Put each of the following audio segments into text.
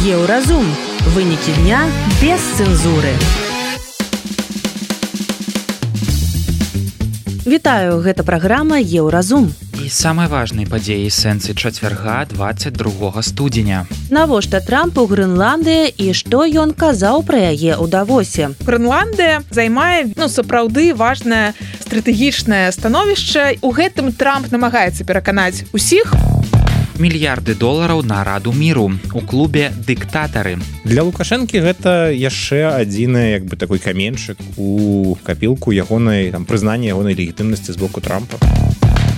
Еўразум. Вынікі дня без цэнзуры. Вітаю, гэта праграма Еўразум. І самай важнай падзеі сэнсы чацвярга 22 студзеня. Навошта Трампу Грэнландыя і што ён казаў пра яе ў Давосе? Грэнландыя займае сапраўды важнае стратэгічнае становішча. У гэтым Трамп намагаецца пераканаць усіх. Мільярды долараў на раду міру у клубе дыктатары. Для Лукашэнкі гэта яшчэ адзіны такой каменьчык у капілку ягонай прызнання ягонай легітымнасці з боку Трампа.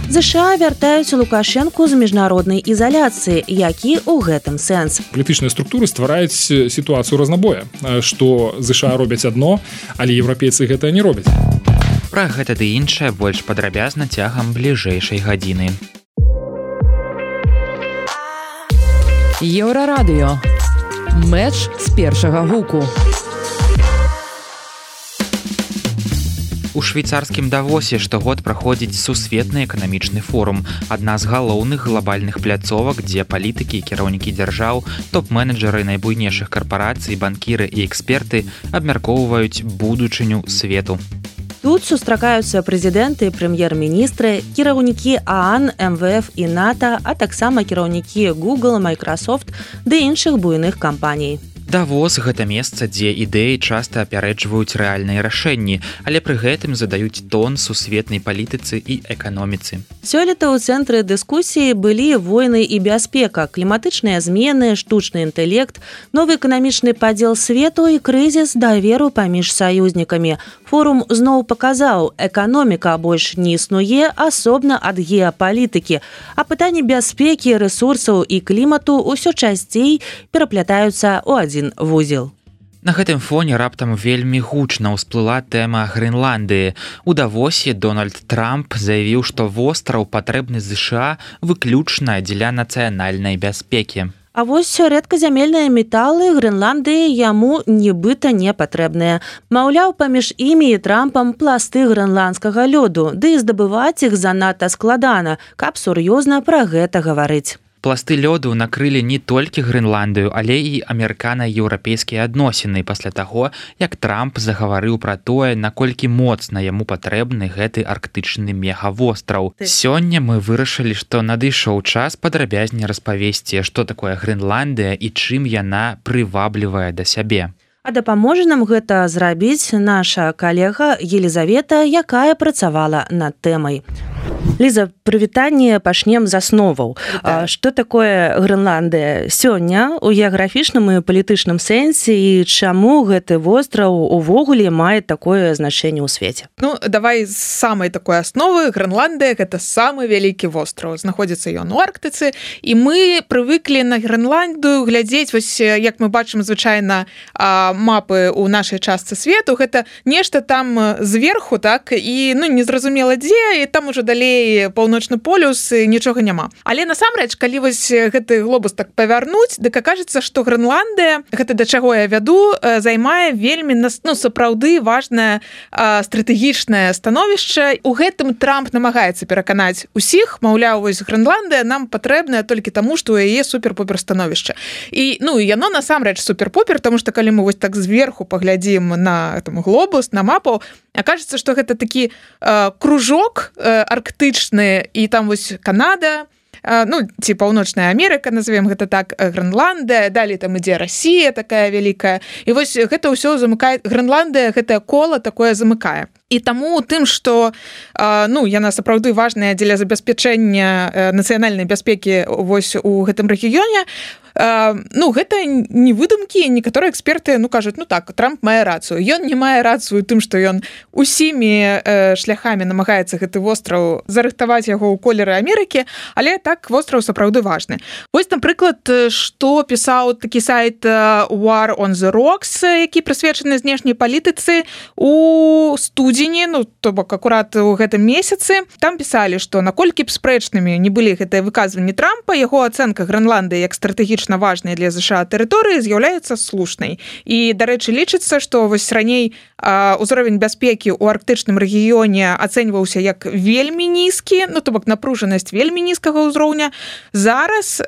ЗША вяртаюць Лукашэнку з міжнароднай ізаляцыі. Які ў гэтым сэнс? Палітычныя структуры ствараюць сітуацыю разнабоя, што ЗША робяць адно, але еўрапейцы гэта не робяць. Пра гэта ды іншае больш падрабязна цягам бліжэйшай гадзіны. Еўрарадыё. Мэч з першага гуку. У швейцарскім Давосе штогод праходзіць сусветны эканамічны форум, адна з галоўных глобальных пляцовак, дзе палітыкі і кіраўнікі дзяржаў, топ-менеджеры найбуйнейшых карпарацый, банкіры і эксперты абмяркоўваюць будучыню свету. Тут сустракаюцца прэзідэнты, прэм'ер-міністры, кіраўнікі ААН, МВФ і НАТО, а таксама кіраўнікі Google, Microsoft ды іншых буйных кампаній. Давос – гэта месца, дзе ідэі часта апярэджваюць рэальныя рашэнні, але пры гэтым задаюць тон сусветнай палітыцы і эканоміцы. Сёлета ў цэнтры дыскусіі былі войны і бяспека, кліматычныя змены, штучны інтэлект, новы эканамічны падзел свету і крызіс даверу паміж саюзнікамі. Форум зноў паказаў, эканоміка больш не існуе асобна ад геапалітыкі, а пытанні бяспекі, рэсурсаў і клімату ўсё часцей пераплятаюцца ў адзін вузел. На гэтым фоне раптам вельмі гучна ўсплыла тэма Грэнландыі. У Давосе Дональд Трамп заявіў, што востраў патрэбны ЗША выключна дзеля нацыянальнай бяспекі. А вось рэдказямельныя металы Грэнландыі яму нібыта не патрэбныя. Маўляў, паміж імі і Трампам пласты грэнландскага лёду, ды і здабываць іх занадта складана, каб сур'ёзна пра гэта гаварыць. Пласты лёду накрылі не толькі Грэнландыю, але і амерыкана-еўрапейскія адносіны пасля таго, як Трамп загаварыў пра тое, наколькі моцна яму патрэбны гэты арктычны мегавостраў. Сёння мы вырашылі, што надышоў час падрабязней распавесці, што такое Грэнландыя і чым яна прываблівае да сябе. А дапаможа нам гэта зрабіць наша калега Елізавета, якая працавала над тэмай. Ліза, прывітанне, пачнем з асноваў. Што такое Грэнландыя сёння ў геаграфічным і палітычным сэнсе і чаму гэты востраў увогуле мае такое значэнне ў свеце? Давай з самай такой асновы. Грэнландыя – гэта самы вялікі востраў. Знаходзіцца ён у Арктыцы, і мы прывыклі на Грэнландыю глядзець, вось як мы бачым звычайна мапы ў нашай частцы свету, гэта нешта там зверху, так, і незразумела дзе, і там ужо далей паўночны полюс, нічога няма. Але насамрэч, калі вось гэты глобус так павярнуць, дык акажацца, што Грэнландыя, гэта да чаго я вяду, займае вельмі сапраўды важнае стратэгічнае становішча. У гэтым Трамп намагаецца пераканаць усіх, маўляў, вось Грэнландыя нам патрэбная толькі таму, што у яе супер-пупер становішча. І яно насамрэч супер-пупер, таму што калі мы вось так зверху паглядзім на глобус, на мапу, акажацца, што гэта такі кружок арктычны, і там вось Канада, ці Паўночная Амерыка, назовем гэта так, Грэнландыя, далей там ідзе Расія такая вялікая. І вось гэта ўсё замыкае, Грэнландыя гэтае кола такое замыкае. І таму тым, што яна сапраўды важная дзеля забеспячэння нацыянальнай бяспекі вось у гэтым рэгіёне, гэта не выдумкі. Некаторыя эксперты кажуць, так, Трамп мае рацыю. Ён не мае рацыю тым, што ён усімі шляхамі намагаецца гэты востраў зарыхтаваць яго ў колеры Амерыкі, але так, востраў сапраўды важны. Вось, напрыклад, што пісаў такі сайт War on the Rocks, які прысвечаны знешняй палітыцы. У студзені студзені, ну то бок акурат у гэтым месяцы, там пісалі, што наколькі б спрэчнымі не былі гэтыя выказванні Трампа, яго ацэнка Грэнландыі як стратэгічна важнай для ЗША тэрыторыі з'яўляецца слушнай. І, дарэчы, лічыцца, што вось раней узровень бяспекі ў арктычным рэгіёне ацэньваўся як вельмі нізкі, ну то бок напружанасць вельмі нізкага ўзроўня. Зараз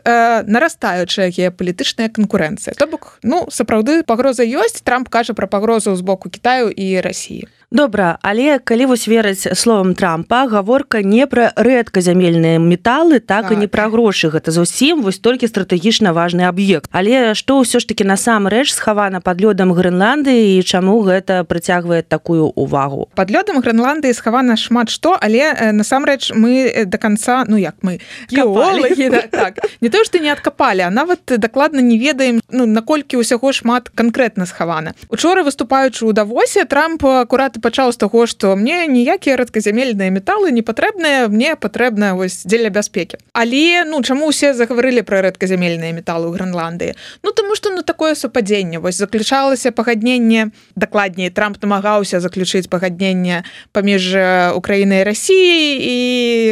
нарастаючая геапалітычная канкурэнцыя. То бок, ну, сапраўды пагроза ёсць. Трамп кажа пра пагрозу з боку Кітаю і Расіі. Добра, але калі вось верыць словам Трампа, гаворка не пра рэдказямельныя металы, так і не пра грошы. Гэта зусім вось толькі стратэгічна важны аб'ект. Але што ўсё ж такі насамрэч схавана пад лёдам Грэнландыі і чаму гэта прыцягвае такую увагу? Пад лёдам Грэнландыі схавана шмат што, але насамрэч мы да канца, ну як мы, геолагі, так, не то, што не адкапалі, а нават дакладна не ведаем, ну, наколькі ўсяго шмат канкрэтна схавана. Учора, выступаючы ў Давосе, Трамп акурат пачаў з таго, што мне ніякія рэдказямельныя металы не патрэбныя, мне патрэбна вось дзеля бяспекі. Але, ну, чаму ўсе загаварылі пра рэдказямельныя металы ў Грэнландыі? Ну, таму што, ну, такое супадзенне. Вось заключалася пагадненне, дакладней, Трамп намагаўся заключыць пагадненне паміж Украінай і Расіяй, і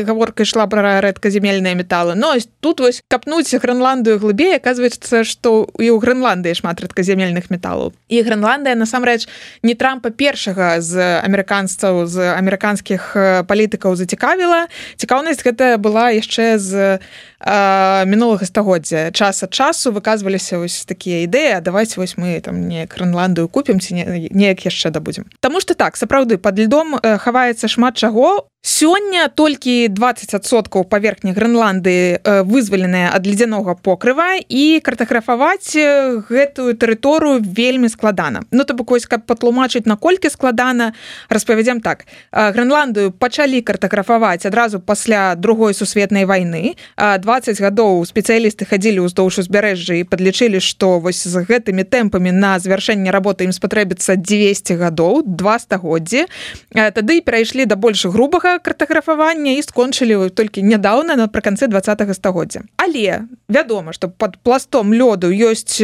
гаворка ішла пра рэдказямельныя металы. Но тут вось капнуць Грэнландыю глыбей, аказваецца, што і ў Грэнландыі шмат рэдказямельных металаў. І Грэнландыя, насамрэч, не Трампа першага з амерыканцаў, з амерыканскіх палітыкаў зацікавіла. Цікаўнасць гэта была яшчэ з мінулага стагоддзя. Час ад часу выказваліся вось такія ідэі, а давайте вось мы там неяк Грэнландыю купім ці неяк яшчэ дабудзем. Таму што так, сапраўды, пад льдом хаваецца шмат чаго. Сёння толькі 20% паверхні Грэнландыі вызваленыя ад ледзянога покрыва, і картаграфаваць гэтую тэрыторыю вельмі складана. Ну, то бок, вось, каб патлумачыць, наколькі складана, распавядзем так. Грэнландыю пачалі картаграфаваць адразу пасля Другой сусветнай вайны. 20 гадоў спецыялісты хадзілі ўздоўж узбярэжжа і падлічылі, што вось з гэтымі тэмпамі на завяршэнне работы ім спатрэбіцца 200 гадоў, 2 стагоддзі. Тады перайшлі да больш грубага картаграфавання і скончылі толькі нядаўна, напрыканцы 20-го стагоддзя. Але вядома, што пад пластом лёду ёсць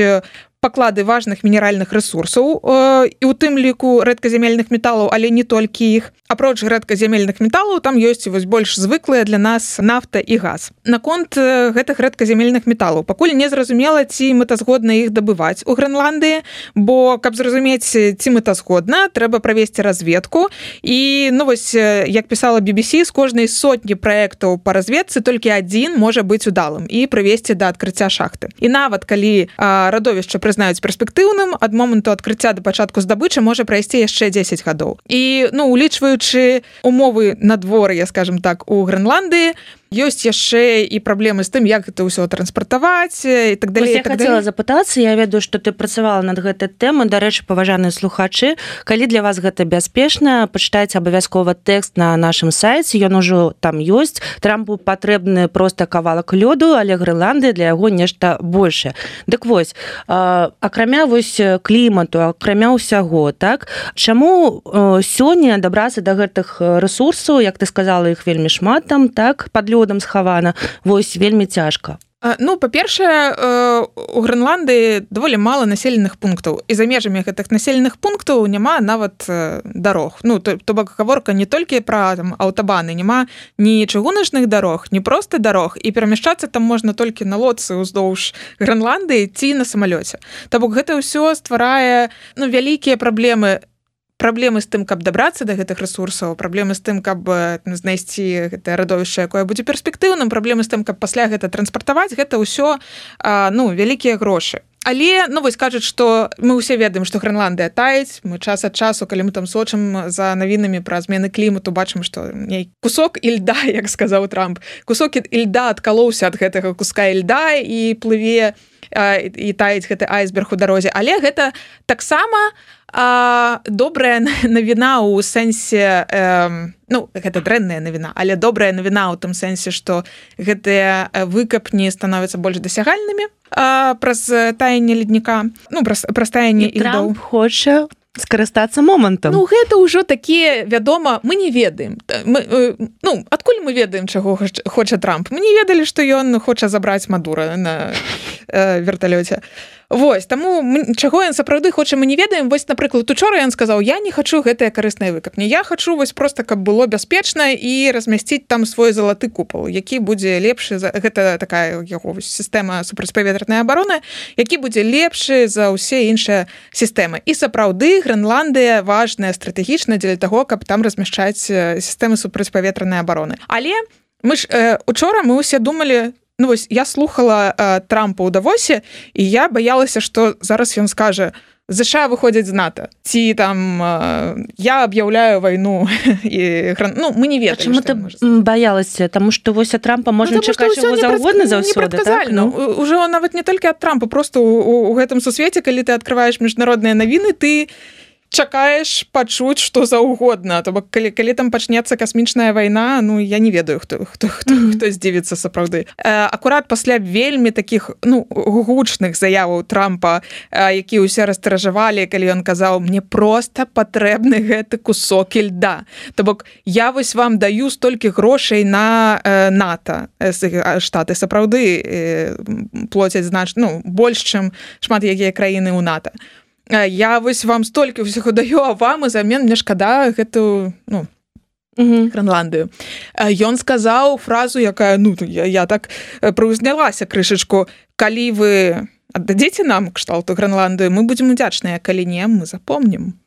паклады важных мінеральных рэсурсаў, і ў тым ліку рэдказямельных металаў, але не толькі іх. Апроч рэдказямельных металаў, там ёсць вось больш звыклыя для нас нафта і газ. Наконт гэтых рэдказямельных металаў пакуль не зразумела, ці мэтазгодна іх дабываць у Грэнландыі, бо, каб зразумець, ці мэтазгодна, трэба правесці разведку. І, ну вось, як пісала BBC, з кожнай сотні праектаў па разведцы толькі адзін можа быць удалым і прывесці да адкрыцця шахты. І нават калі радовішча прызнаюць перспектыўным, ад моманту адкрыцця да пачатку здабычы можа прайсці яшчэ 10 гадоў. І, ну, улічваючы умовы надвор'я, скажем так, у Грэнландыі, ёсць яшчэ і праблемы з тым, як гэта ўсё транспартаваць і так далей. Я хацела запытацца, я ведаю, што ты працавала над гэтай тэмай. Дарэчы, паважаныя слухачы, калі для вас гэта бяспечна, пачытайце абавязкова тэкст на нашым сайце, ён ужо там ёсць. Трампу патрэбны проста кавалак лёду, але Грэнландыя для яго нешта большае. Дык вось, акрамя вось клімату, акрамя ўсяго, так, чаму сёння дабрацца да гэтых рэсурсаў, як ты сказала, іх вельмі шмат там, так, пад лёдам схавана, вось вельмі цяжка? Ну, па-першае, у Грэнландыі даволі мала населеных пунктаў. І за межамі гэтых населеных пунктаў няма нават дарог. Ну, то бок гаворка не толькі пра аўтабаны, няма ні чыгуначных дарог, ні проста дарог, і перамяшчацца там можна толькі на лодцы ўздоўж Грэнландыі ці на самалёце. То бок гэта ўсё стварае, ну, вялікія праблемы з тым, каб дабрацца да гэтых рэсурсаў, праблемы з тым, каб знайсці гэтае радовішча, якое будзе перспектыўным, праблемы з тым, каб пасля гэта транспартаваць, гэта ўсё, ну, вялікія грошы. Але, ну, вось кажуць, што мы ўсе ведаем, што Грэнландыя таюць, мы час ад часу, калі мы там сочым за навінамі пра змены клімату, бачым, што кусок ільда, як сказаў Трамп, кусок ільда адкалоўся ад гэтага куска ільда і плыве і таюць гэты айсберг у дарозе. Але гэта таксама добрая навіна ў сэнсе, ну, гэта дрэнная навіна, але добрая навіна ў тым сэнсе, што гэтыя выкапні становяцца больш дасягальнымі праз таянне ледніка, ну, праз таянне ільдоў. Трамп хоча скарыстацца момантам. Ну, гэта ўжо такія, вядома, мы не ведаем. Ну, адкуль мы ведаем, чаго хоча Трамп? Мы не ведалі, што ён хоча забраць Мадура верталёце. Вось, таму чаго ён сапраўды хоча, мы не ведаем. Вось, напрыклад, учора ён сказаў, я не хачу гэтыя карысныя выкапні, я хачу вось проста, каб было бяспечна і размясціць там свой залаты купал, які будзе лепшы, гэта такая яго сістэма супрацьпаветранай абароны, які будзе лепшы за ўсе іншыя сістэмы. І сапраўды Грэнландыя важная стратэгічна для таго, каб там размяшчаць сістэмы супрацьпаветранай абароны. Але мы ж учора мы ўсе думалі, ну вось я слухала Трампа ў Давосе, і я баялася, што зараз ён скажа, ЗША выходзяць з НАТО, ці там я аб'яўляю вайну і ну мы не ведаем. Чаму ты баялася? Таму што вось ад Трампа можна чакаць чаго заўгодна заўсёды, так? Ужо нават не толькі ад Трампа, просто у гэтым сусвеце, калі ты адкрываеш міжнародныя навіны, ты чакаеш пачуць што заўгодна. То бок калі там пачнецца касмічная вайна, ну я не ведаю, хто здзівіцца сапраўды. Акурат пасля вельмі такіх гучных заяваў Трампа, які ўсе растражавалі, калі ён казаў, мне проста патрэбны гэты кусок льда. То бок я вось вам даю столькі грошай на НАТО. Штаты сапраўды плоцяць больш, чым шмат якія краіны ў НАТО. Я вось вам столькі ўсяго даю, а вам узамен мне шкада гэтую, Грэнландыю. Ён сказаў фразу, якая, я так прыўзнялася крышачку, калі вы аддадзеце нам кшталту Грэнландыю, мы будзем удзячныя, калі не, мы запомнім.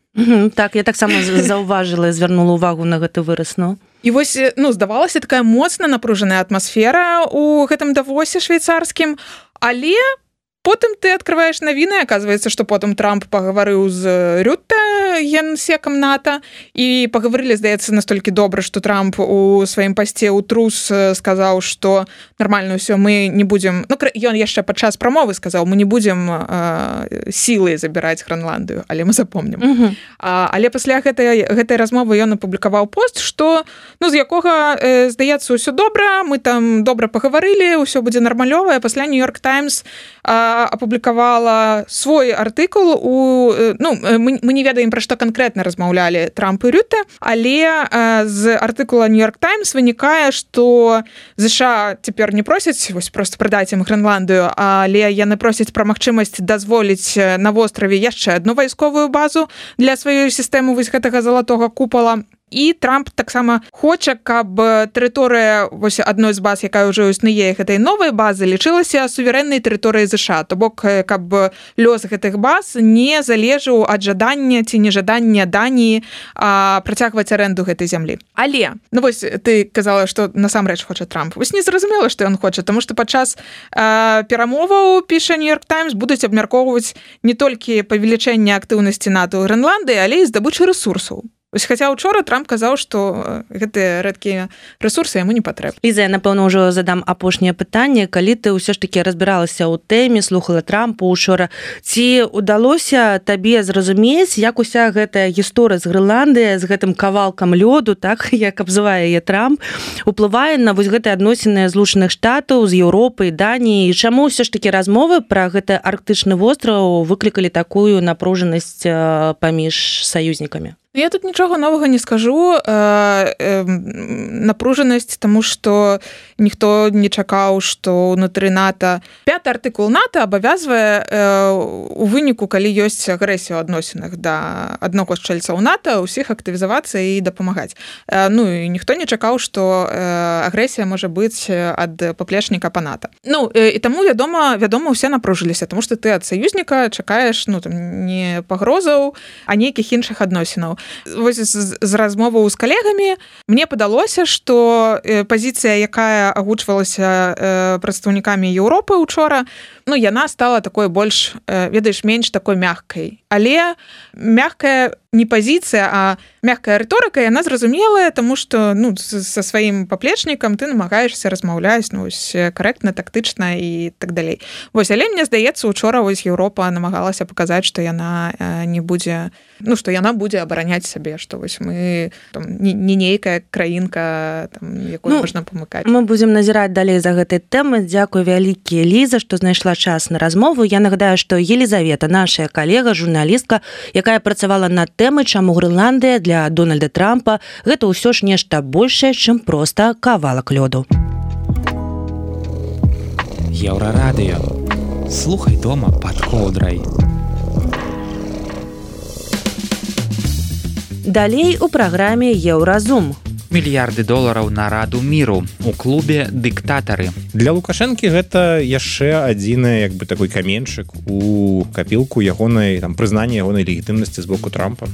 Так, я таксама заўважыла і звярнула ўвагу на гэты выраз, І вось, здавалася, такая моцна напружаная атмасфера ў гэтым Давосе швейцарскім, але потым ты адкрываеш навіны, аказваецца, што потым Трамп пагаварыў з Рютте, генсекам НАТО, і пагаварылі, здаецца, настолькі добра, што Трамп у сваім пасце ў трус сказаў, што нармальна ўсё, мы не будзем... Ён яшчэ падчас прамовы сказаў, мы не будзем сілай забіраць Грэнландыю, але мы запомнім. Але пасля гэтай размовы ён апублікаваў пост, што, з якога, здаецца, ўсё добра, мы там добра пагаварылі, ўсё будзе нармалёвае. Пасля Нью-Йорк Таймс апублікавала свой артыкул мы не ведаем, пра што канкрэтна размаўлялі Трамп і Рютте, але з артыкула Нью-Йорк Таймс вынікае, што ЗША цяпер не просяць вось проста прадаць ім Грэнландыю, але яны просяць пра магчымасць дазволіць на востраве яшчэ адну вайсковую базу для сваёй сістэмы вось гэтага залатога купала. І Трамп таксама хоча, каб тэрыторыя вось адной з баз, якая ўжо існуе, гэтай новай базы, лічылася суверэннай тэрыторыяй ЗША. То бок, каб лёс гэтых баз не залежаў ад жадання ці нежадання Даніі працягваць арэнду гэтай зямлі. Але, вось ты казала, што насамрэч хоча Трамп. Вось не зразумела, што ён хоча, таму што падчас перамоваў, піша Нью-Йорк Таймс, будуць абмяркоўваць не толькі павелічэнне актыўнасці НАТО ў Грэнландыі, але і здабычы рэсурсаў. Хаця учора Трамп казаў, што гэтыя рэдкія рэсурсы яму не патрэбны. Ліза, я, напэўна, ўжо задам апошняе пытанне. Калі ты ўсё ж такі разбіралася ў тэме, слухала Трампа учора, ці ўдалося табе зразумець, як уся гэтая гісторыя з Грэнландыяй, з гэтым кавалкам лёду, так, як абзывае яе Трамп, уплывае на вось гэтыя адносіны Злучаных Штатаў з Еўропай, Даніяй, і чаму ўсё ж такі размовы пра гэты арктычны востраў выклікалі такую напружанасць паміж саюзнікамі? Я тут нічога новага не скажу. Напружанасць, таму што ніхто не чакаў, што ўнутры НАТО... 5-й артыкул НАТО абавязвае у выніку, калі ёсць агрэсія ў адносінах да аднаго з чальцаў НАТО, ўсіх актывізавацца і дапамагаць. І ніхто не чакаў, што агрэсія можа быць ад паплечніка па НАТО. І таму, вядома, ўсе напружыліся, таму што ты ад саюзніка чакаеш не пагрозаў, а нейкіх іншых адносінаў. Вось з размоваў з калегамі мне падалося, што пазіцыя, якая агучвалася прадстаўнікамі Еўропы учора, яна стала такой больш, менш такой мяккай. Але мяккая не пазіцыя, а мяккая рыторыка, яна зразумелая, таму што са сваім паплечнікам ты намагаешся размаўляць карэктна, тактычна і так далей. Але мне здаецца, учора Еўропа намагалася паказаць, што яна не будзе, што яна будзе абараняць сябе, што мы не нейкая краінка, якую можна памыкаць. Мы будзем назіраць далей за гэтай тэмай. Дзякуй вялікі, Ліза, што знайшла час на размову. Я нагадаю, што Елізавета, наша калега, журналістка, якая працавала над тэмай, чаму Грэнландыя для Дональда Трампа гэта ўсё ж нешта большае, чым проста кавалак лёду. Еўрарадыё. Слухай дома пад коўдрай. Далей у праграме Еўразум. Мільярды долараў на раду міру. У клубе дыктатары. Для Лукашэнкі гэта яшчэ адзіны такой каменьчык у капілку ягонай прызнання ягонай легітымнасці з боку Трампа.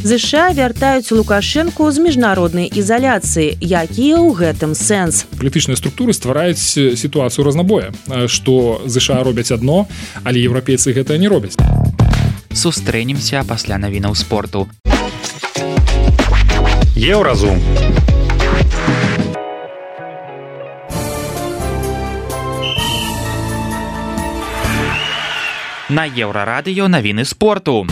ЗША вяртаюць Лукашэнку з міжнароднай ізаляцыі. Які ў гэтым сэнс? Палітычныя структуры ствараюць сітуацыю разнабоя, што ЗША робяць адно, але еўрапейцы гэта не робяць. Сустрэнемся пасля навінаў спорту. Еўразум. На Еўрарадыё навіны спорту.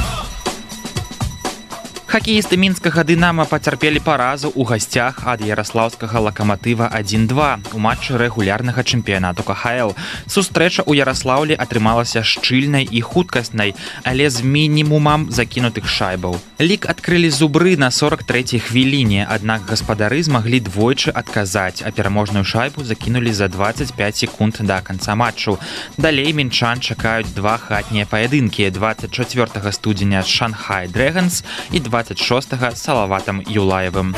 Хакеісты мінскага «Дынама» пацярпелі паразу ў гасцях ад яраслаўскага «Лакаматыва» 1-2 у матчы рэгулярнага чэмпіянату КХЛ. Сустрэча ў Яраслаўлі атрымалася шчыльнай і хуткаснай, але з мінімумам закінутых шайбаў. Лік адкрылі зубры на 43-й хвіліне, аднак гаспадары змаглі двойчы адказаць, а пераможную шайбу закінулі за 25 секунд да канца матчу. Далей мінчан чакаюць два хатнія паядынкі 24 студзеня з «Шанхай Дрэгонс» і 26-га з Салаватам Юлаевым.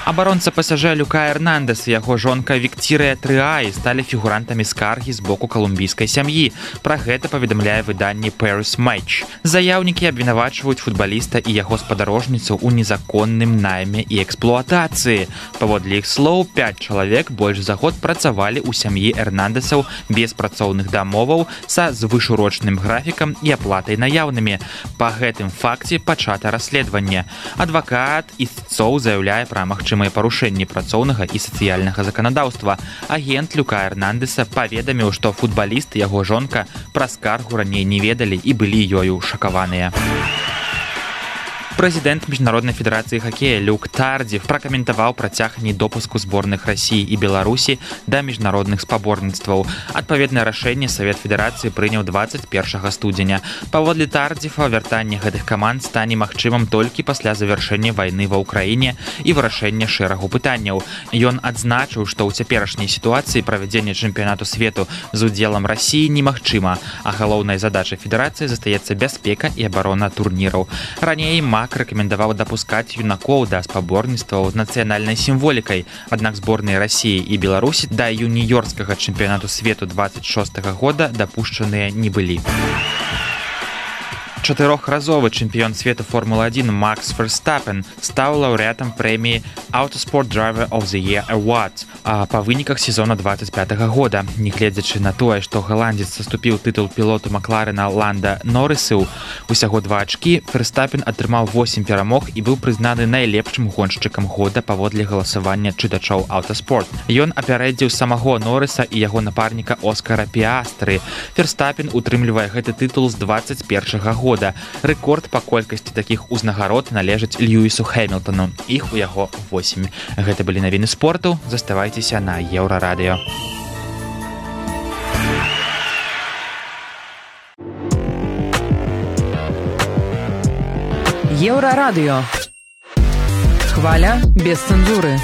Абаронца ПСЖ Люка Эрнандес і яго жонка Віктірыя Трыаі сталі фігурантамі скаргі з боку калумбійскай сям'і. Пра гэта паведамляе выданне Paris Match. Заяўнікі абвінавачваюць футбаліста і яго спадарожніцу ў незаконным найме і эксплуатацыі. Паводле іх слоў, 5 чалавек больш за год працавалі ў сям'і Эрнандесаў без працоўных дамоваў са звышурочным графікам і аплатай наяўнымі. Па гэтым факце пачата расследаванне. Адвакат ісцоў заяўляе пра магчымасць парушэнні працоўнага і сацыяльнага заканадаўства. Агент Люка Эрнандеса паведаміў, што футбаліст і яго жонка пра скаргу раней не ведалі і былі ёю шакаваныя. Прэзідэнт Міжнароднай федэрацыі хакея Люк Тардзіф пракаментаваў працягненне допуску зборных Расіі і Беларусі да міжнародных спаборніцтваў. Адпаведнае рашэнне Савет Федэрацыі прыняў 21 студзеня. Паводле Тардзіфа, вяртанне гэтых каманд стане магчымым толькі пасля завяршэння вайны ва ўкраіне і вырашэння шэрагу пытанняў. Ён адзначыў, што ў цяперашняй сітуацыі правядзенне чэмпіянату свету з удзелам Расіі немагчыма, а галоўнай задачай федэрацыі застаецца бяспека і абарона турніраў. Раней рэкамендаваў дапускаць юнакоў да спаборніцтваў з нацыянальнай сімволікай, аднак зборныя Расіі і Беларусі да юніёрскага чэмпіянату свету 26-го года дапушчаныя не былі. Чатырохразовы чэмпіён свету Формулы-1 Макс Верстапен стаў лаўрэатам прэміі Autosport Driver of the Year Award па выніках сезона 25-го года. Нягледзячы на тое, што галандзец саступіў тытул пілоту Макларена Ланда Норрысу, усяго 2 ачкі, Верстапен атрымаў 8 перамог і быў прызнаны найлепшым гоншчыкам года паводле галасавання чытачоў Autosport. Ён апярэдзіў самого Норрыса і яго напарніка Оскара Піастры. Верстапен утрымлівае гэты тытул з 21-го года. Рэкорд па колькасці такіх узнагарод належыць Льюісу Хэмілтону. Іх у яго 8. Гэта былі навіны спорту. Заставайцеся на Еўрарадыё. Еўрарадыё. Хваля без цэнзуры.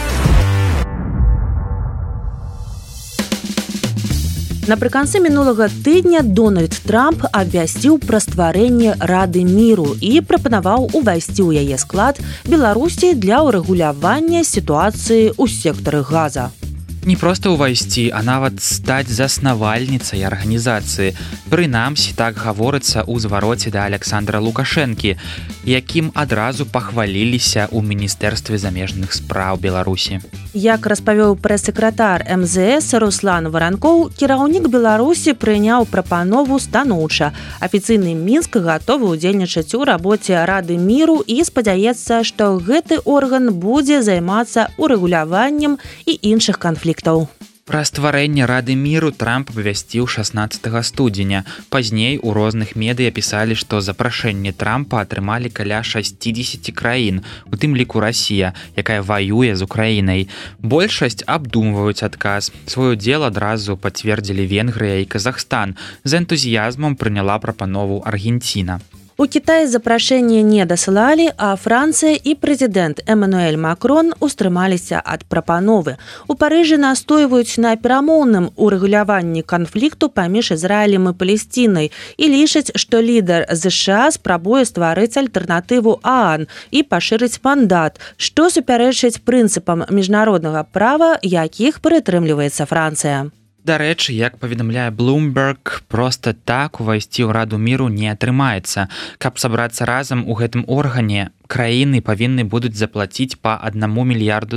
Напрыканцы мінулага тыдня Дональд Трамп абвясціў пра стварэнне Рады міру і прапанаваў увайсці ў яе склад Беларусі для ўрэгулявання сітуацыі ў сектары газа. Не проста ўвайсці, а нават стаць заснавальніцай арганізацыі. Прынамсі, так гаворыцца ў звароце да Александра Лукашэнкі, якім адразу пахваліліся ў Міністэрстве замежных спраў Беларусі. Як распавёў прэс-сакратар МЗС Руслан Варанкоў, кіраўнік Беларусі прыняў прапанову станоўча. Афіцыйны Мінск гатовы ўдзельнічаць у рабоце Рады міру і спадзяецца, што гэты орган будзе займацца урэгуляваннем і іншых канфліктаў. Пра стварэнне Рады міру Трамп абвясціў 16 студзеня. Пазней у розных медыя пісалі, што запрашэнне Трампа атрымалі каля 60 краін, у тым ліку Расія, якая ваюе з Украінай. Большасць абдумваюць адказ. Свой удзел адразу пацвердзілі Венгрыя і Казахстан. З энтузіязмам прыняла прапанову Аргенціна. У Кітаі запрашэнне не дасылалі, а Францыя і прэзідэнт Эмануэль Макрон устрымаліся ад прапановы. У Парыжы настойваюць на перамоўным урэгуляванні канфлікту паміж Ізраілем і Палесцінай і лічаць, што лідар ЗША спрабуе стварыць альтэрнатыву ААН і пашырыць мандат, што супярэчыць прынцыпам міжнароднага права, якіх прытрымліваецца Францыя. Дарэчы, як паведамляе Bloomberg, проста так увайсці ў Раду міру не атрымаецца. Каб сабрацца разам у гэтым органе, краіны павінны будуць заплаціць па $1 мільярду.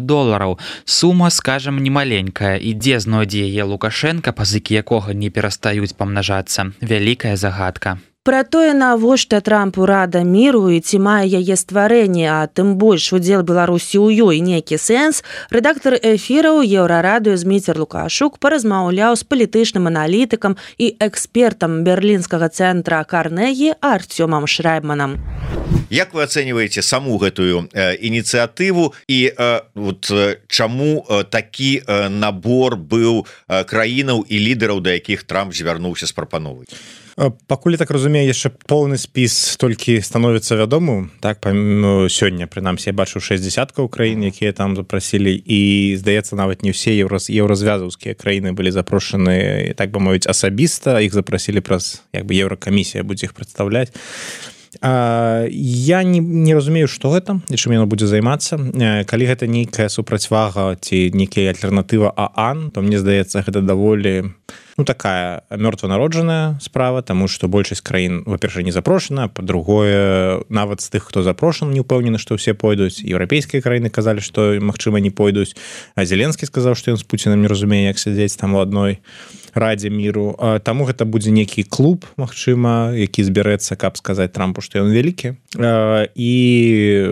Сума, скажам, немаленькая, і дзе знойдзе яе Лукашенка, пазыкі якога не перастаюць памнажацца. Вялікая загадка. Пра тое, навошта Трампу Рада міру і ці мае яе стварэнне, а тым больш удзел Беларусі ў ёй нейкі сэнс, рэдактар эфіраў Еўрарадыё Зміцер Лукашук паразмаўляў з палітычным аналітыкам і экспертам берлінскага цэнтра Карнегі Артёмам Шрайбманам. Як вы ацэньваеце саму гэтую ініцыятыву і чаму такі набор быў краінаў і лідараў, да якіх Трамп звярнуўся з прапановай? Пакуль, так разумею, яшчэ поўны спіс толькі становіцца вядомым. Так, сёння, прынамсі, я бачыў 60 краін, якія там запрасілі, і, здаецца, нават не ўсе еўразвязаўскія краіны былі запрошаны, так бы мовіць, асабіста. Іх запрасілі праз, Еўракамісія будзе іх прадстаўляць. Я не разумею, што гэта і чым яно будзе займацца. Калі гэта нейкая супрацьвага ці нейкая альтэрнатыва ААН, то мне здаецца, гэта даволі такая мёртванароджаная справа, таму што большасць краін, во-першае, не запрошана, па-другое, нават з тых, хто запрошан, не ўпэўнены, што ўсе пойдуць. Еўрапейскія краіны казалі, што, магчыма, не пойдуць. А Зеленскі сказаў, што ён з Пуцінам не разумее, як сядзець там у адной Радзе міру. Таму гэта будзе нейкі клуб, магчыма, які збярэцца, каб сказаць Трампу, што ён вялікі. І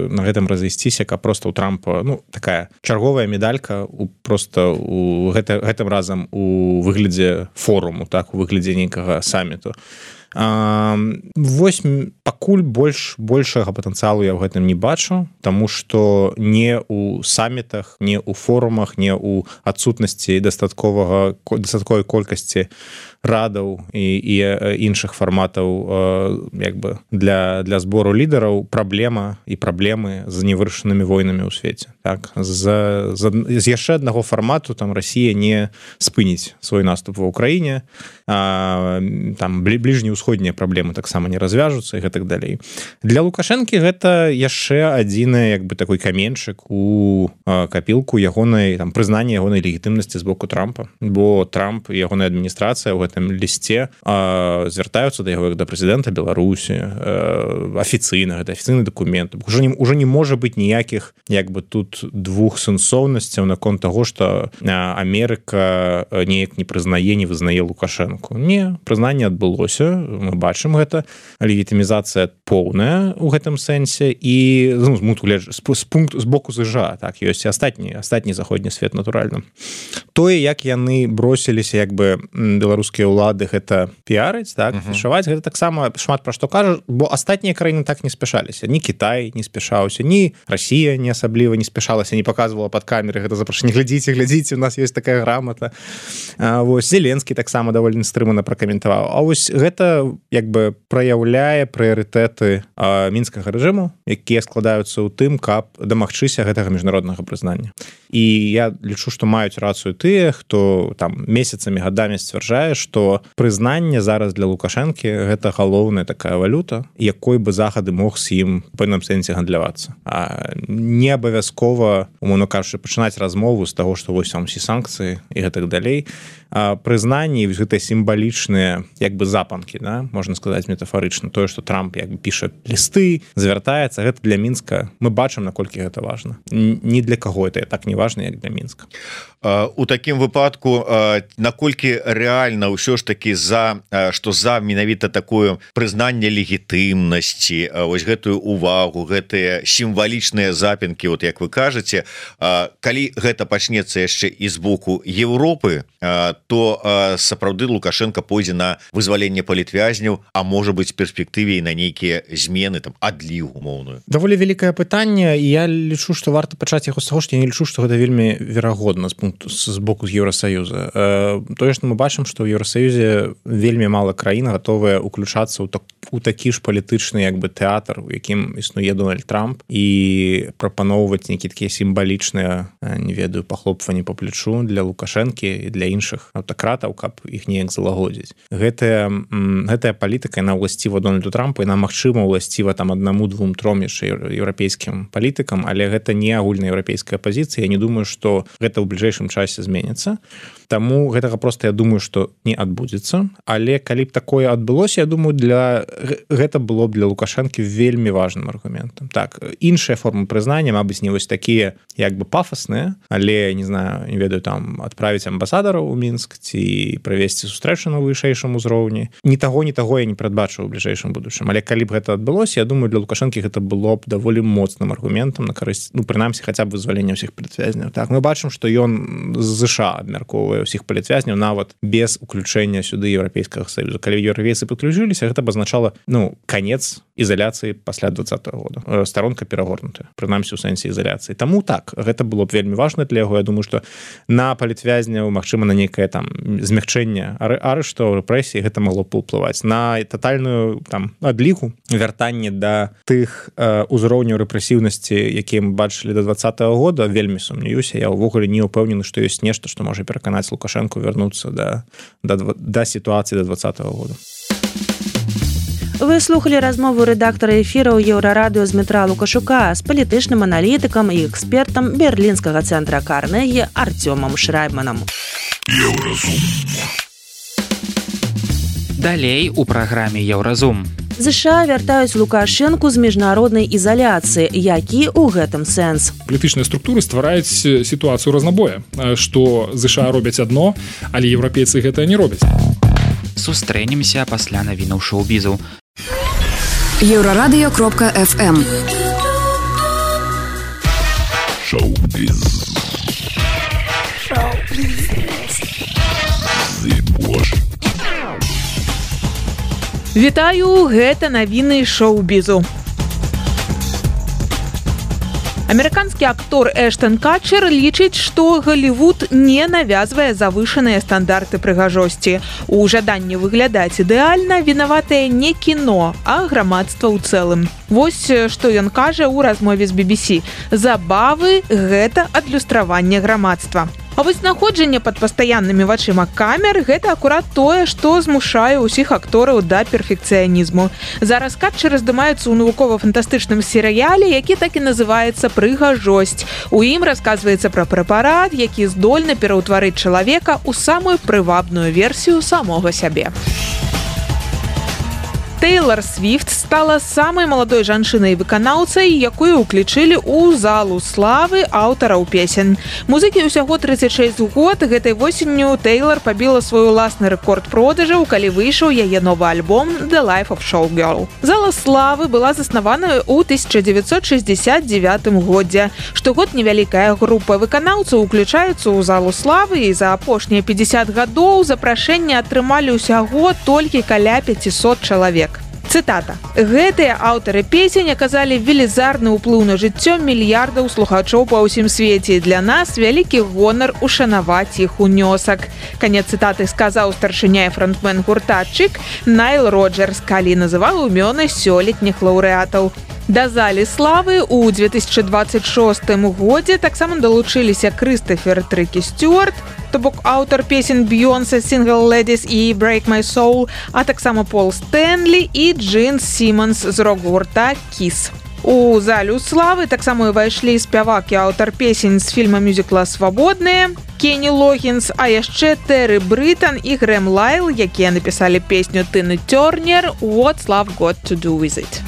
на гэтым разысціся, каб проста ў Трампа, такая чарговая медалька проста у гэтым разам у выглядзе форуму, так, у выглядзе нейкага саміту. Вось пакуль большага патэнцыялу я ў гэтым не бачу, таму што не ў самітах, не ў форумах, не ў адсутнасці дастатковай колькасці радаў і іншых фарматаў для збору лідараў праблемы з невырашанымі войнамі ў свеце. Так, з яшчэ аднаго фармату там Расія не спыніць свой наступ ва ўкраіне, там бліжнеўсходнія праблемы таксама не развяжуцца і гэтак далей. Для Лукашэнкі гэта яшчэ адзіны такой каменьчык у капілку ягонай прызнання ягонай легітымнасці з боку Трампа, бо Трамп і ягоная адміністрацыя ў гэтым лісце звяртаюцца да яго як да прэзідэнта Беларусі афіцыйна, гэта афіцыйны дакумент. Уже не можа быць ніякіх тут двух сэнсоўнасцяў наконт таго, што Амерыка неяк не прызнае, не вызнае Лукашэнку. Не, прызнанне адбылося, мы бачым гэта, легітымізацыя поўная ў гэтым сэнсе і з боку ЗША, так, ёсць і астатні заходні свет, натуральна. Тое, як яны бросіліся беларускія ўлады гэта піарыць, так, фішаваць, гэта таксама шмат пра што кажа, бо астатнія краіны так не спяшаліся. Ні Кітай не спяшаўся, ні Расія не асабліва не спяшалася, не паказвала пад камеры гэта запрашэнне. Глядзіце, у нас ёсць такая грамата. Вось Зеленскі таксама даволі стрымана пракаментаваў. А вось гэта праяўляе прыярытэты мінскага рэжыму, якія складаюцца ў тым, каб дамагчыся гэтага міжнароднага прызнання. І я лічу, што маюць рацыю тыя, хто там месяцамі, гадамі сцвярджае, што прызнанне зараз для Лукашэнкі гэта галоўная такая валюта, якой бы захады мог з ім у пэўным сэнсе гандлявацца. Не абавязкова, умоўна кажучы, пачынаць размову з таго, што вось вам усе санкцыі і гэтак далей. Прызнанні, гэтыя сімвалічныя запанкі, да? Можна сказаць метафарычна, тое, што Трамп піша лісты, звяртаецца, гэта для Мінска. Мы бачым, наколькі гэта важна. Ні для каго это так не важна, як для Мінска. У такім выпадку, наколькі рэальна ўсё ж такі за менавіта такое прызнанне легітымнасці вось гэтую увагу, гэтыя сімвалічныя запінкі, вот як вы кажаце, калі гэта пачнецца яшчэ і з боку Еўропы, то сапраўды Лукашенко пойдзе на вызваленне палітвязняў, а можа быць перспектыве і на нейкія змены, там адлігу умоўную. Даволі вялікае пытанне, і я лічу, што варта пачаць яго з таго, што я не лічу, што гэта вельмі верагодна з боку Еўрасаюза. Тое, што мы бачым, што ў Еўрасаюзе вельмі мала краін гатовыя уключацца у такі ж палітычны як бы тэатр, у якім існуе Дональд Трамп, і прапаноўваць нейкія такія сімвалічныя, не ведаю, пахлопванні по плечу для Лукашэнкі і для іншых аўтакратаў, каб іх неяк залагодзіць. Гэтая палітыка, яна ўласціва Дональду Трампу, яна магчыма ўласціва там 1, 2, 3 яшчэ еўрапейскім палітыкам, але гэта не агульнаеўрапейская пазіцыя. Я не думаю, што гэта ў бліжэйшым часе зменіцца. Таму гэтага проста я думаю, што не адбудзецца, але калі б такое адбылося, я думаю, гэта было б для Лукашэнкі вельмі важным аргументам. Так, іншыя формы прызнання, мабыць, не вось такія як бы пафасныя, але, не знаю, не ведаю, там адправіць амбасадараў у Мінск ці правесці сустрэчу на вышэйшым узроўні. Ні таго я не прадбачу ў бліжэйшым будучым, але калі б гэта адбылося, я думаю, для Лукашэнкі гэта было б даволі моцным аргументам на карысць, ну, прынамсі, хаця б вызвалення ўсіх палітвязняў. Так, мы бачым, што ён з ЗША абмяркоўвае ўсіх палітвязняў нават без уключэння сюды Еўрапейскага Саюза. Калі еўрапейцы падключыліся, гэта б азначала, ну, канец ізаляцыі пасля 2020 года. Старонка перагорнутая, прынамсі ў сэнсе ізаляцыі. Таму так, гэта было б вельмі важна для яго. Я думаю, што на палітвязняў, магчыма, на нейкае там змягчэнне арыштаў, рэпрэсій, гэта магло б уплываць. На татальную там адлігу, вяртанне да тых узроўняў рэпрэсіўнасці, якія мы бачылі да 2020 года, вельмі сумнеюся. Я ўвогуле не ўпэўнены, што ёсць нешта, што можа пераканаць Лукашенко вярнуцца да сітуацыі да 2020 года. Вы слухали размову рэдактара эфіраў Еўрарадыё Змітра Лукашука з палітычным аналітыкам і экспертам берлінскага цэнтра Карнегі Артёмам Шрайбманам. Далей у праграме Еўразум. ЗША вяртаюць Лукашэнку з міжнароднай ізаляцыі. Які ў гэтым сэнс? Палітычныя структуры ствараюць сітуацыю разнабоя, што ЗША робяць адно, але еўрапейцы гэта не робяць. Сустрэнемся пасля навінаў шоу-бізу. Еўрарадыё.фм Шоу-біз. Вітаю, гэта навіны шоу-бізу. Амерыканскі актор Эштон Катчер лічыць, што Галівуд не навязвае завышаныя стандарты прыгажосці. У жаданні выглядаць ідэальна вінаватае не кіно, а грамадства ў цэлым. Вось што ён кажа ў размове з BBC. Забавы – гэта адлюстраванне грамадства. А вось знаходжанне пад пастаяннымі вачыма камер – гэта акурат тое, што змушае ўсіх актораў да перфекцыянізму. Зараз Катчер здымаецца ў навукова-фантастычным серыяле, які так і называецца «Прыгажосць». У ім расказваецца пра прэпарат, які здольны пераўтварыць чалавека ў самую прывабную версію самога сябе. Тейлор Свіфт стала самай маладой жанчынай-выканаўцай, якую ўключылі ў залу славы аўтараў песень. Музыкі ўсяго 36 год. Гэтай восенню Тейлор пабіла свой уласны рэкорд продажаў, калі выйшаў яе новы альбом «The Life of Showgirl». Зала славы была заснаваная ў 1969 годзе. Штогод невялікая група выканаўцаў уключаецца ў залу славы, і за апошнія 50 гадоў запрашэнне атрымалі ўсяго толькі каля 500 чалавек. Цытата. Гэтыя аўтары песень аказалі велізарны ўплыў на жыццё мільярдаў слухачоў па ўсім свеце. Для нас вялікі гонар ушанаваць іх унёсак. Канец цытаты сказаў старшыня і фронтмен гурта Чик Найл Роджерс, калі называў імёны сёлетніх лаўрэатаў. Да залі славы ў 2026 годзе таксама далучыліся Крыстофер Трыкі Стюарт, то бок аўтар песень Бейонсе «Single Ladies» і «Break My Soul», а таксама Пол Стэнлі і Джин Сімонс з рок-гурта «Kiss». У залю славы таксама ўвайшлі спявак і аўтар песень з фільма-мюзікла «Свабодныя», Кенні Логінс, а яшчэ Тэры Брытан і Грэм Лайл, якія напісалі песню Тыны Тёрнер «What's Love Got to Do With It».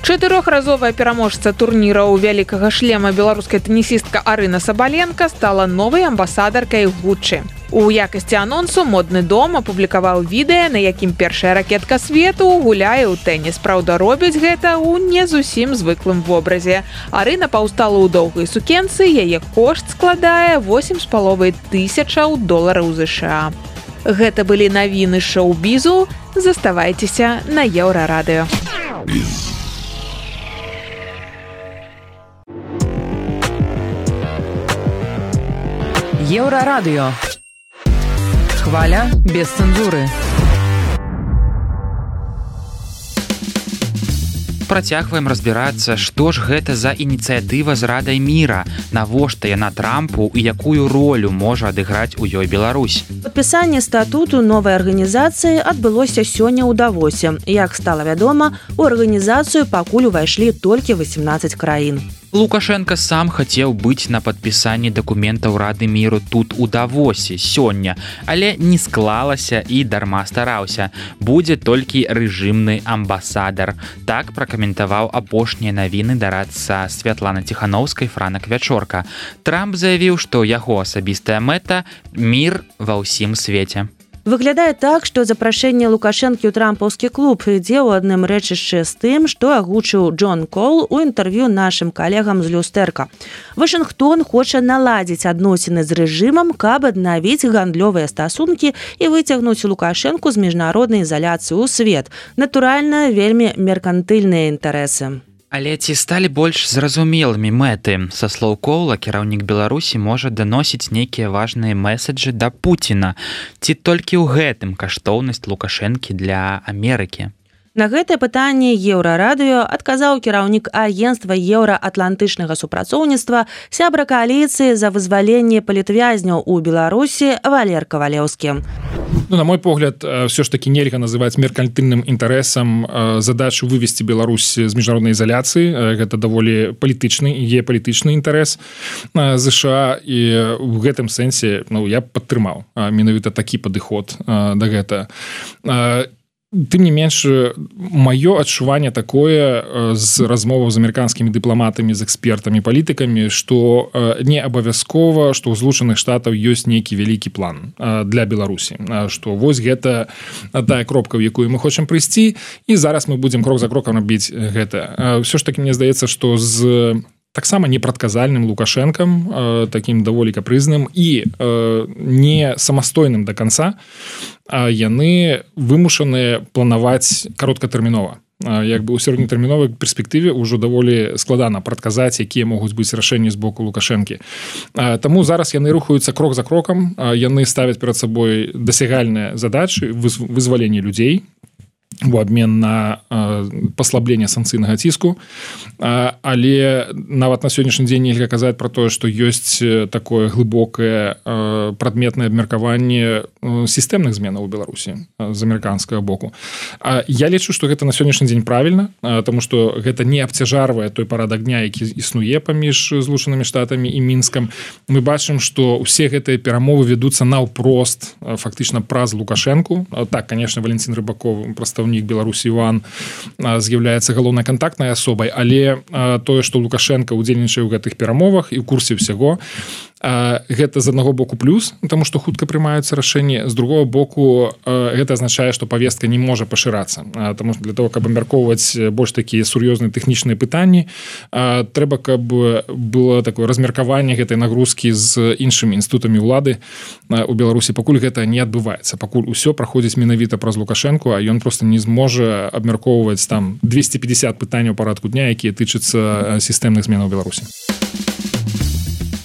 Чатырохразовая пераможца турніраў вялікага шлема беларуская тэнісістка Арына Сабаленка стала новай амбасадаркай Гуччі. У якасці анонсу модны дом апублікаваў відэа, на якім першая ракетка свету гуляе ў тэніс. Праўда, робяць гэта ў не зусім звыклым вобразе. Арына паўстала ў доўгай сукенцы, яе кошт складае $8,500 США. Гэта былі навіны шоу-бізу. Заставайцеся на Еўрарадыё. Еўрарадыё. Хваля без цэнзуры. Працягваем разбірацца, што ж гэта за ініцыятыва з Радай міра, навошта яна Трампу і якую ролю можа адыграць у ёй Беларусь. Падпісанне статуту новай арганізацыі адбылося сёння ў Давосе. Як стала вядома, у арганізацыю пакуль увайшлі толькі 18 краін. Лукашенко сам хацеў быць на падпісанні дакументаў Рады міру тут у Давосе сёння, але не склалася і дарма стараўся. Будзе толькі рэжымны амбасадар. Так пракаментаваў апошнія навіны дарадца Святлана Ціхановскай Франак Вячорка. Трамп заявіў, што яго асабістая мэта – мір ва ўсім свеце. Выглядае так, што запрашэнне Лукашэнкі ў трампаўскі клуб ідзе ў адным рэчышчы з тым, што агучыў Джон Кол у інтэрв'ю нашым калегам з Люстэрка. Вашынгтон хоча наладзіць адносіны з рэжымам, каб аднавіць гандлёвыя стасункі і выцягнуць Лукашэнку з міжнароднай ізаляцыі ў свет. Натуральна, вельмі меркантыльныя інтарэсы. Але ці сталі больш зразумелымі мэты? Са слоў Коула, кіраўнік Беларусі можа даносіць нейкія важныя месаджы да Пуціна. Ці толькі ў гэтым каштоўнасць Лукашэнкі для Амерыкі? На гэтае пытанне Еўрарадыё адказаў кіраўнік агенцтва еўраатлантычнага супрацоўніцтва, сябра кааліцыі за вызваленне палітвязняў у Беларусі Валер Кавалеўскі. На мой погляд, все ж таки нельга называць меркантыльным інтарэсам задачу вывесці Беларусь з міжнароднай ізаляцыі. Гэта даволі палітычны і геапалітычны інтарэс ЗША, і ў гэтым сэнсе я падтрымаў менавіта такі падыход да гэта. Тым не менш, маё адчуванне такое з размоваў з амерыканскімі дыпламатамі, з экспертамі, палітыкамі, што не абавязкова, што ў Злучаных Штатаў ёсць нейкі вялікі план для Беларусі, што вось гэта тая кропка, ў якую мы хочам прыйсці, і зараз мы будзем крок за крокам рабіць гэта. Ўсё ж такі мне здаецца, што з таксама непрадказальным Лукашэнкам, такім даволі капрызным і не самастойным да канца, яны вымушаныя планаваць кароткатэрмінова. Як бы ў сярэднетэрміновай перспектыве ўжо даволі складана прадказаць, якія могуць быць рашэнні з боку Лукашэнкі. Таму зараз яны рухаюцца крок за крокам, яны ставяць перад сабой дасягальныя задачы вызвалення людзей у абмен на паслабленне санкцыйнага ціску, але нават на сённяшні дзень нельга казаць пра тое, што ёсць такое глыбокае прадметнае абмеркаванне сістэмных зменаў у Беларусі з амерыканскага боку. Я лічу, што гэта на сённяшні дзень правільна, таму што гэта не абцяжарвае той парадак дня, які існуе паміж Злучанымі Штатамі і Мінскам. Мы бачым, што ўсе гэтыя перамовы вядуцца наўпрост, фактычна праз Лукашэнку. Так, конечно, Валентин Рыбаков, прадстаўнік Беларусі Іван, з'яўляецца галоўнай кантактнай асобай, але тое, што Лукашенко удзельнічае ў гэтых перамовах і ў курсе ўсяго, гэта з аднаго боку плюс, таму што хутка прымаюцца рашэнні, з другого боку гэта азначае, што павестка не можа пашырацца, таму што для того, каб абмяркоўваць больш такія сур'ёзныя тэхнічныя пытанні, трэба, каб было такое размеркаванне гэтай нагрузкі з іншымі інстытутамі ўлады у Беларусі. Пакуль гэта не адбываецца, пакуль усё праходзіць менавіта праз Лукашэнку, а ён проста не зможа абмяркоўваць там 250 пытанняў парадку дня, якія тычацца сістэмных зменаў Беларусі.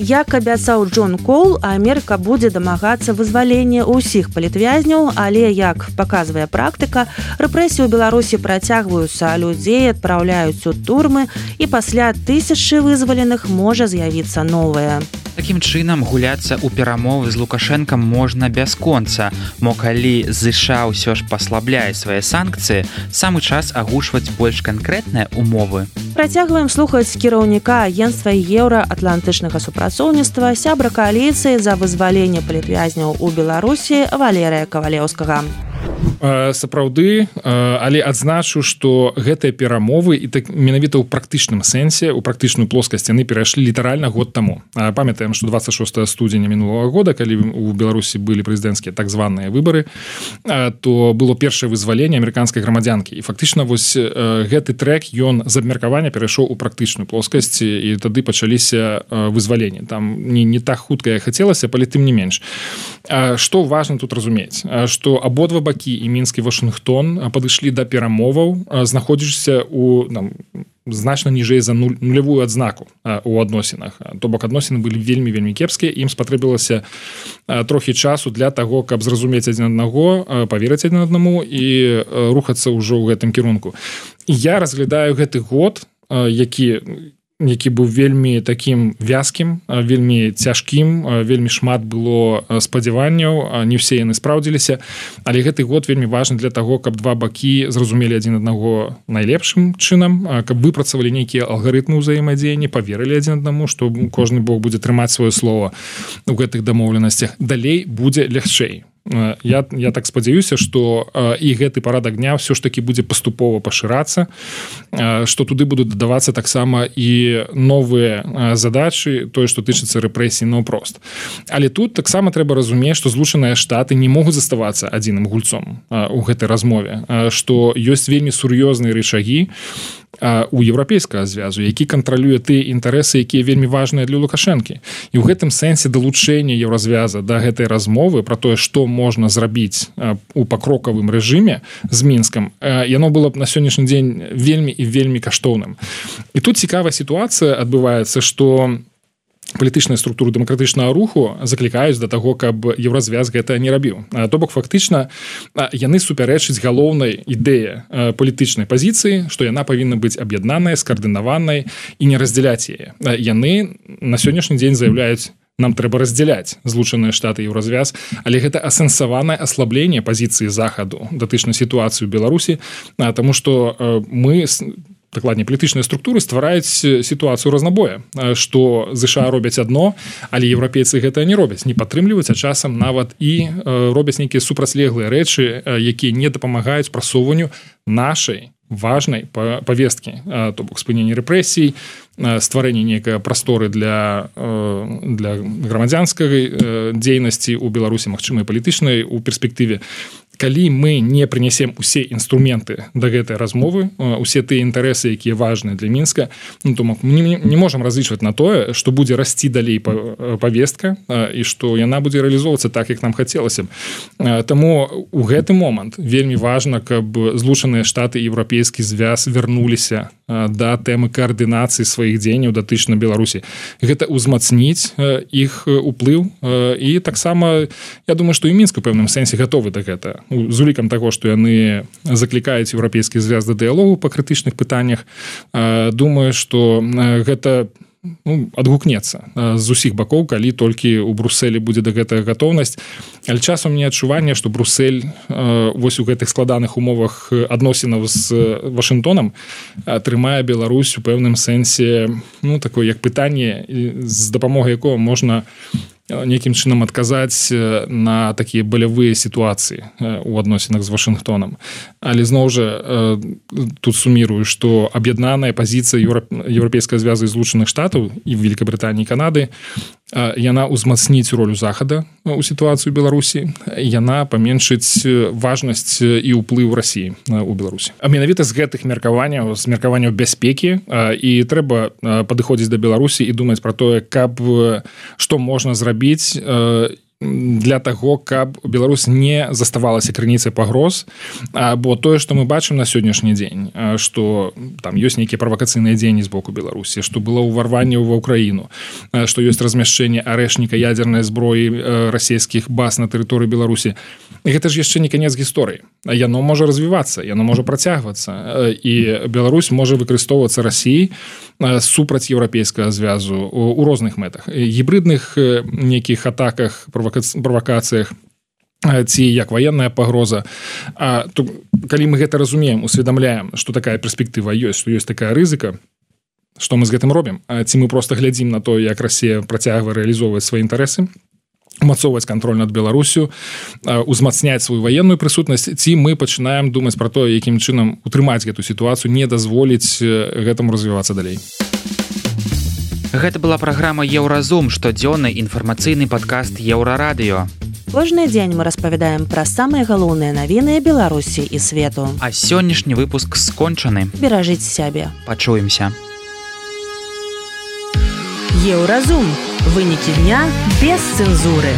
Як абяцаў Джон Кол, Амерыка будзе дамагацца вызвалення ўсіх палітвязняў, але, як паказвае практыка, рэпрэсіі ў Беларусі працягваюцца, людзей адпраўляюць у турмы, і пасля тысячы вызваленых можа з'явіцца новае. Такім чынам, гуляцца ў перамовы з Лукашэнкам можна бясконца, мо калі ЗША ўсё ж паслабляе свае санкцыі, самы час агучваць больш канкрэтныя умовы. Працягваем слухаць кіраўніка агенцтва еўраатлантычнага супрацоўніцтва, сябра кааліцыі за вызваленне палітвязняў у Беларусі Валерыя Кавалеўскага. Сапраўды, але адзначу, што гэтыя перамовы і так менавіта ў практычным сэнсе, у практычную плоскасць яны перайшлі літаральна год таму. Памятаем, што 26 студзеня мінулого года, калі у Беларусі былі прэзідэнцкія так званыя выбары, то было першае вызваленне амерыканскай грамадзянкі. І фактычна вось гэты трэк, ён з абмеркавання перайшоў у практычную плоскасць, і тады пачаліся вызваленні. Там не так хутка, як хацелася, але тым не менш. Што важна тут разумець, што абодва бакі і Мінск і Вашынгтон падышлі да перамоваў, знаходзішся у значна ніжэй за нулявую адзнаку у адносінах. То бок адносіны былі вельмі кепскія, ім спатрэбілася трохі часу для таго, каб зразумець адзін аднаго, паверыць адзін аднаму і рухацца ўжо ў гэтым кірунку. І я разглядаю гэты год, які быў вельмі такім вязкім, вельмі цяжкім, вельмі шмат было спадзяванняў, не ўсе яны спраўдзіліся, але гэты год вельмі важны для таго, каб два бакі зразумелі адзін аднаго найлепшым чынам, каб выпрацавалі нейкія алгарытмы ўзаемадзеяння, паверылі адзін аднаму, што кожны бок будзе трымаць сваё слова ў гэтых дамоўленасцях. Далей будзе лягчэй. Я так спадзяюся, што і гэты парадак дня ўсё ж такі будзе паступова пашырацца, што туды будуць дадавацца таксама і новыя задачы, тое, што тычыцца рэпрэсій наўпрост. Але тут таксама трэба разумець, што Злучаныя Штаты не могуць заставацца адзіным гульцом у гэтай размове, што ёсць вельмі сур'ёзныя рычагі у еўрапейскага звязу, які кантралюе тыя інтарэсы, якія вельмі важныя для Лукашэнкі. І ў гэтым сэнсе далучэнне еўразвяза да гэтай размовы пра тое, што можна зрабіць у пакрокавым рэжыме з Мінскам, яно было б на сённяшні дзень вельмі і вельмі каштоўным. І тут цікавая сітуацыя адбываецца, што палітычныя структуры дэмакратычнага руху заклікаюць да таго, каб еўразвяз гэта не рабіў. То бок фактычна яны супярэчаць галоўнай ідэі палітычнай пазіцыі, што яна павінна быць аб'яднаная, скаардынаванай і не раздзяляць яе. Яны на сённяшні дзень заяўляюць: нам трэба раздзяляць Злучаныя Штаты і еўразвяз, але гэта асэнсаванае аслабленне пазіцыі захаду датычна сітуацыі ў Беларусі, таму што мы, дакладней, палітычныя структуры ствараюць сітуацыю разнабоя, што ЗША робяць адно, але еўрапейцы гэта не робяць, не падтрымліваюць, а часам нават і робяць нейкія супрацьлеглыя рэчы, якія не дапамагаюць прасоўванню нашай важнай павесткі, то бок спынення рэпрэсій, стварэнне нейкай прасторы для грамадзянскай дзейнасці ў Беларусі, магчыма, і палітычнай у перспектыве. Калі мы не прынясем усе інструменты да гэтай размовы, усе тыя інтарэсы, якія важныя для Мінска, то мы не можам разлічваць на тое, што будзе расці далей павестка і што яна будзе рэалізоўвацца так, як нам хацелася б. Таму у гэты момант вельмі важна, каб Злучаныя Штаты і еўрапейскі звяз вярнуліся да тэмы каардынацыі сваіх дзеянняў датычна Беларусі. Гэта ўзмацніць іх уплыў, і таксама я думаю, што і Мінск у пэўным сэнсе гатовы да гэтага. З улікам таго, што яны заклікаюць еўрапейскі звяз да дыялогу па крытычных пытаннях, думаю, што гэта адгукнецца з усіх бакоў, калі толькі ў Брусэлі будзе да гэтага гатоўнасць. Але часам мне адчуванне, што Брусэль вось у гэтых складаных умовах адносінаў з Вашынгтонам трымае Беларусь у пэўным сэнсе такое як пытанне, з дапамогай якога можна нейкім чынам адказаць на такія балявыя сітуацыі у адносінах з Вашынгтонам. Але зноў жа тут сумірую, што аб'яднаная пазіцыя еўрапейскага звязу Злучаных Штатаў і Великабрытаніі і Канады, яна ўзмацніць ролю захада у сітуацыі ў Беларусі, яна паменшыць важнасць і ўплыў Расіі ў Беларусі. А менавіта з гэтых меркаванняў, з меркаванняў бяспекі, і трэба падыходзіць да Беларусі і думаць пра тое, каб што можна зрабіць для таго, каб Беларусь не заставалася крыніцай пагроз, бо тое, што мы бачым на сённяшні дзень, што там ёсць нейкія правакацыйныя дзеянні з боку Беларусі, што было ўварванне ва ўкраіну, што ёсць размяшчэнне арэшніка ядзернай зброі расійскіх баз на тэрыторыі Беларусі. Гэта ж яшчэ не канец гісторыі. Яно можа развівацца, яно можа працягвацца, і Беларусь можа выкарыстоўвацца Расіяй супраць еўрапейскага звязу у розных мэтах, гібридных нейкіх атаках, правакацыях, ці як ваенная пагроза. Калі мы гэта разумеем, усведамляем, што такая перспектыва ёсць, што ёсць такая рызыка, што мы з гэтым робім? Ці мы проста глядзім на то, як Расія працягвае рэалізоўваць свае інтарэсы умацоўваць кантроль над Беларусю, узмацняць сваю ваенную прысутнасць, ці мы пачынаем думаць пра тое, якім чынам утрымаць гэту сітуацыю, не дазволіць гэтаму развівацца далей. Гэта была праграма «Еўразум», штодзённы інфармацыйны падкаст «Еўрарадыё». Кожны дзень мы распавядаем пра самыя галоўныя навіны Беларусі і свету. А сённяшні выпуск скончаны. Беражыце сябе. Пачуемся. Еўразум. Вынікі дня без цэнзуры.